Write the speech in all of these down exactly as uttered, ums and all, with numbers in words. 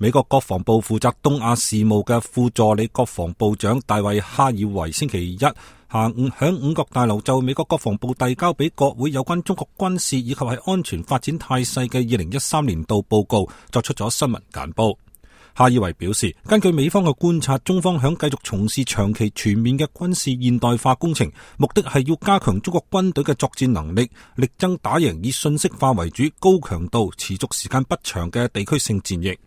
美國國防部負責東亞事務嘅副助理國防部長大衛哈爾維星期一下午響五角大樓就美國國防部遞交俾國會有關中國軍事以及係安全發展態勢嘅二零一三年度報告作出咗新聞簡報。哈爾維表示，根據美方嘅觀察，中方響繼續從事長期全面嘅軍事現代化工程，目的係要加強中國軍隊嘅作戰能力，力爭打贏以信息化為主、高強度、持續時間不長嘅地區性戰役。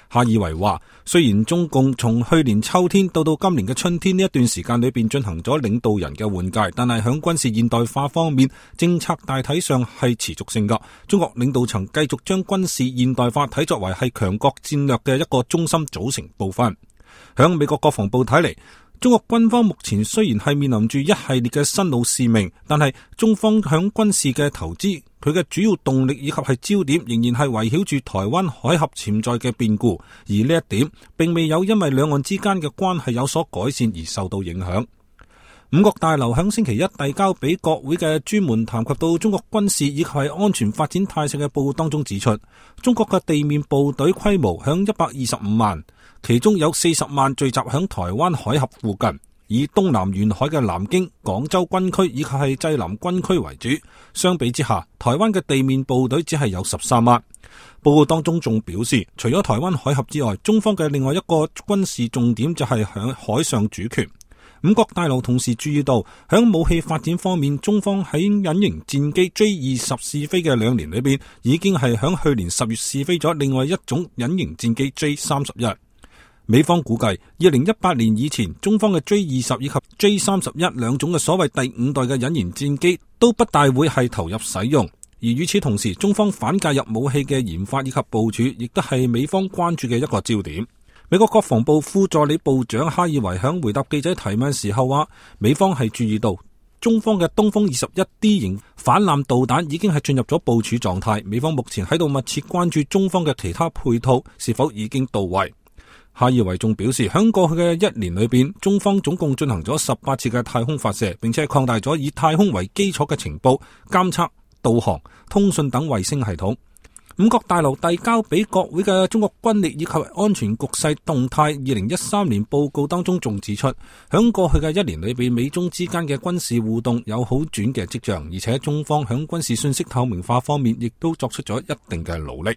哈爾維話，雖然中共從去年秋天到到今年嘅春天呢一段時間裏邊進行咗領導人嘅換屆，但係響軍事現代化方面，政策大體上係持續性噶。中國領導層繼續將軍事現代化睇作為係強國戰略嘅一個中心組成部分。響美國國防部睇嚟，中國軍方目前雖然係面臨住一系列嘅新老使命，但係中方響軍事嘅投資，佢嘅主要動力以及係焦點仍然係圍繞住台灣海峽潛在嘅變故，而呢一點並未有因為兩岸之間嘅關係有所改善而受到影響。五角大樓響星期一遞交俾國會嘅專門談及到中國軍事以及係安全發展態勢嘅報告當中指出，中國嘅地面部隊規模響一百二十五萬，其中有四十萬聚集響台灣海峽附近，以東南沿海嘅南京、廣州軍區以及係濟南軍區為主。相比之下，台灣嘅地面部隊只係有十三萬。報告當中仲表示，除咗台灣海峽之外，中方嘅另外一個軍事重點就係響海上主權。五角大樓同時注意到，響武器發展方面，中方喺隱形戰機 J 二十試飛嘅兩年裏邊，已經係響去年十月試飛咗另外一種隱形戰機 J 三十一。美方估計，二零一八年以前，中方嘅 J 二十以及 J 三十一兩種嘅所謂第五代嘅隱形戰機都不大會係投入使用。而與此同時，中方反介入武器嘅研發以及部署，亦都係美方關注嘅一個焦點。美國國防部副助理部長哈爾維響回答記者提問時候話，美方係注意到中方嘅東風二十一 D 型反艦導彈已經係進入咗部署狀態，美方目前喺度密切關注中方嘅其他配套是否已經到位。哈爾維仲表示，響過去嘅一年裏邊，中方總共進行咗十八次嘅太空發射，並且擴大咗以太空為基礎嘅情報、監測、導航、通訊等衛星系統。五角大樓遞交俾國會嘅中國軍力以及安全局勢動態二零一三年報告當中仲指出，響過去嘅一年裏邊，美中之間嘅軍事互動有好轉嘅跡象，而且中方響軍事信息透明化方面亦都作出咗一定嘅努力。